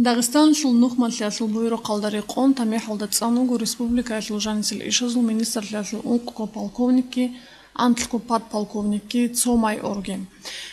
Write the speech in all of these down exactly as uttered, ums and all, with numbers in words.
Дагъистаналъул нухмалъиялъул буюрухъалда рекъон тамихӀалда цӀан вуго республикаялъул жанисел ишазул министрлъиялъул ункъго полковникги, анлъго подполковникги, цо майорги.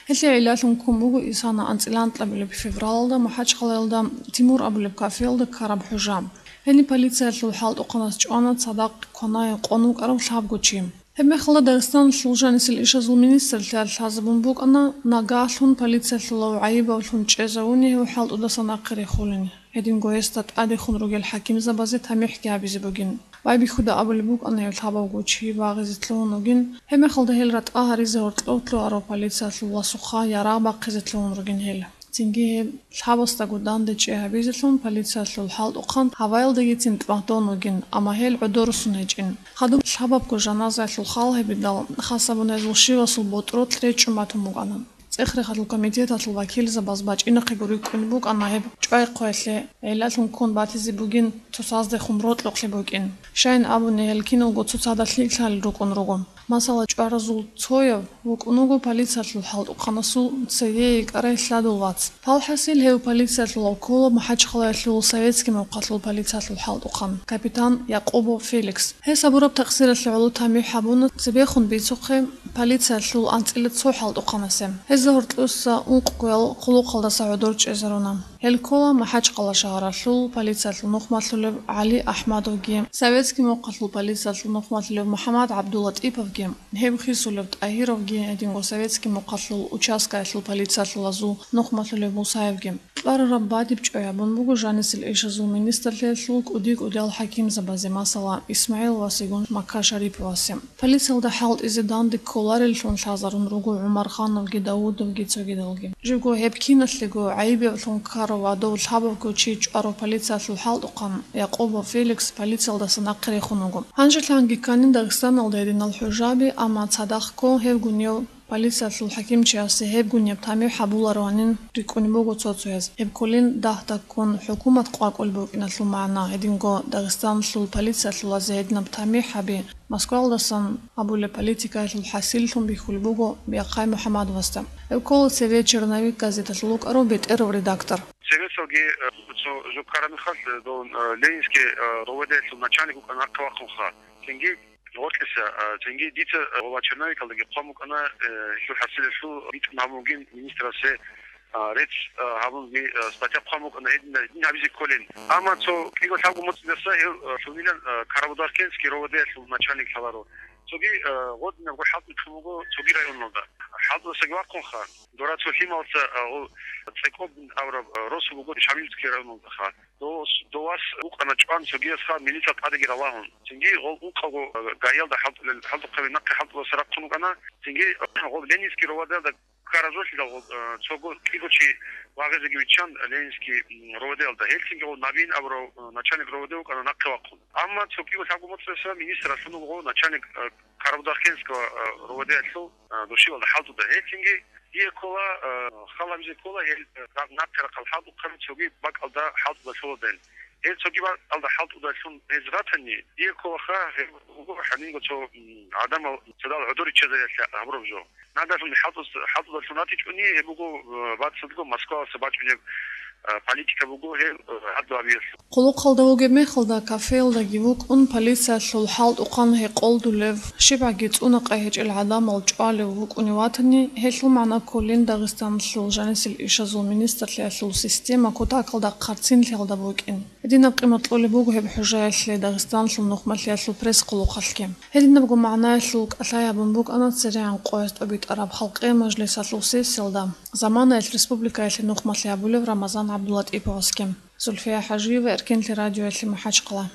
Гьелъие гӀиллалъун ккун буго исана анцӀила анкьабилеб февралалда МахӀачхъалаялда Тимур абулеб кафеялда ккараб хӀужа. Гьениб полициялъул хӀалтӀухъанас чӀвана цадахъ кванай къон вукӀарав лъабго чи. Гьебмехалда Дагъистаналъул жанисел ишазул министрлъиялъ лъазабун букӀана, нагагьлъун полициялъулав гӀайибавлъун чӀезавуни гьев хӀалтӀудаса нахъе рехулин. Гьединго гьесда тӀадехун ругел хӀакимзабазе тамихӀги гьабизе бугин. Байбихьуда абулеб букӀана гьев лъабавго чи багъизе лъугьун вугин, гьебмехалда гьел ратӀа гьаризе гьоркьов лъугьарав полициялъул васухъа ярагъ бахъизе лъугьун ругин гьел. Цинги гьеб лъабасдаго данде чӀей гьабизелъун полициялъул хӀалтӀухъан гьаваялдагицин тӀматӀдон вугин, амма гьел гӀодорусун гьечӀин. Хадуб лъабабго жаназаялъул хал гьебидал, хасабун гьезул щивасул ботӀролъ речӀчӀун батун букӀана. ЦӀех-рехалъул комитеталъул вакилзабаз бачӀинахъего рикӀкӀунеб букӀана гьеб чӀвай-хъваялъе гӀиллалъун ккун батизе бугин, цоцаздехун рокьукълъи букӀин. Щайин абуни, гьел киналго цоцазда лъикӀлъи рукӀун руго. Масала, чӀваразул цояв вукӀун вуго полициялъул хӀалтӀухъанасул цеве йикӀарай лъадул вац. Палхасил гьев полициялъулав ккола МахӀачхъалаялъул Советский мухъалъул полициялъул хӀалтӀухъан, капитан Якъубов Феликс. Гьес гьабураб такъсиралъе гӀоло тамихӀ гьабуна цебехун бицухъе полициялъул анцӀила цо хӀалтӀухъанасе. Гьезда гьоркьоса ункъгоял хъулухъалдаса гӀодор чӀезаруна. Гьел ккола МахӀачхъала шагьаралъул полициялъул нухмалъулев ГӀали Ахмадовги, Советский мухъалъул полициялъул нухмалъулев МухӀаммад ГӀабдулатӀиповги, гьеб хисулев ТӀагьировги, гьединго Советский мухъалъул участкаялъул полициялъулазул нухмалъулев Мусаевги. Кьварараб бадиб чӀвай гьабун буго жанисел ишазул министрлъиялъул кӀуди-кӀудиял хӀакимзабазе, масала, ИсмагӀиловасегун Макка Шариповасе. Полициялда хӀалтӀизе данде кколареллъун лъазарун руго ГӀумархановги, Давудовги, цогидалги. Живго гьеб киналъего гӀайибавлъун ккарав ва дов лъабавго чи чӀварав полициялъул хӀалтӀухъан Якъубов Феликс полициялдаса нахъе рехун вуго. Гьанжелъанги кканин Дагъистаналда гьединал хӀужаби, амма цадахъго гьевгунев полициялъул хӀакимчиясе гьебгунеб тамихӀ гьабулароанин рикӀкӀунеб буго цо-цояз. Гьеб кколин дагь-дагьккун хӀукумат къвакӀулеб букӀиналъул магӀна, гьединго Дагъистаналъул полициялъулазе гьединаб тамихӀаби Москваялдасан абулеб политикаялъул хӀасиллъун бихьулеб буго Бяхъай МухӀамадовасда. Гьев ккола цеве «Черновик» газеталъул вукӀарав бетӀерав редактор. Цевесалги, э, цо жо ккараб мехалъ, э, дов, э, Ленинский, э, РОВД-ялъул начальник вукӀана нахъе вахъунха. Цинги гъоркьиса, э, цинги дица, э, ва «Черновикалдаги» хъван букӀана, э, гьелъул хӀасилалъул битӀун гьабун бугин министрасе, а, рецц, а, гьабунги, а, статья хъван букӀана гьедин, гьедин гьабизе кколин. Амма цо кӀиго-лъабго моцӀидаса гьев, а, лъунилан, а, Карабудахкенский РОВД-ялъул начальник лъаларо. Цоги, а, гъодинабго хӀалтӀи кьун буго цоги районалда. ХӀалтӀудасаги вахъунха. Дора цо лъималца, а, гъо-, ЦӀекӀобин абураб, а, росу буго Шамиловский районалдаха. Дос-, довас вукӀана чӀван цогиясха милица тӀадеги ралагьун. Цинги гъол ункъавго, а, ГАИялда хӀалтӀулел, хӀалтӀухъаби нахъе хӀалтӀудаса рахъун вукӀана. Цинги гъол Ленинский РОВД-ялда ккаразулъидал, э, цого кӀиго чи вагъизеги виччан Ленинский, м, РОВД-ялда. Гьелцинги гъов Набиин абурав, э, начальник РОВД вукӀана нахъе вахъун. Амма цо кӀиго-лъабго моцӀидаса министр лъун вуго начальник, э, Карабудахкенского, э, РОВД-ялъул, э, душивалда хӀалтӀуда. Гьелцинги дие ккола, э, хал гьабизе ккола гьел, э, рагъ-, нахъе рахъал хӀалтӀухъаби цоги бакӀалда хӀалтӀуда лъугьадайин. Гьел цоги бакӀалда хӀалтӀудалъун гьез ратани, дие кколаха гьеб буго гьанинго цо, м, гӀадамал цадал гӀодор риччазариялъе гьабураб жо. Нагагьлъун хӀалтӀус-, хӀалтӀудалъун ратичӀони, гьеб буго, э, бацӀцӀадго Москваласа бачӀунеб, э, политика буго гьеб, э, гьадаб гьабиялъул. Хъулухъалда вугеб мехалда кафеялдаги вукӀун, полициялъул хӀалтӀухъан гьекъолдулев, щибгӀаги цӀуна-къай гьечӀел гӀадамал чӀвалев вукӀунев ватани, гьелъул магӀна кколин Дагъистаналъул жанисел ишазул министрлъиялъул система кутакалда хъарцинлъиялда букӀин. Гьединаб къимат кьолеб буго гьеб хӀужаялъе Дагъистаналъул нухмалъиялъул пресс-хъулухъалъги. Гьединабго магӀнаялъул кӀалъай гьабун букӀана церегӀан къояз тӀобитӀараб халкъиял мажлисалъул сессиялда заманаялъ республикаялъе нухмалъи гьабулев Рамазан ГӀабдулатӀиповасги. Зульфия ХӀажиева, Эркенлъи радиоялъе, МахӀачхъала.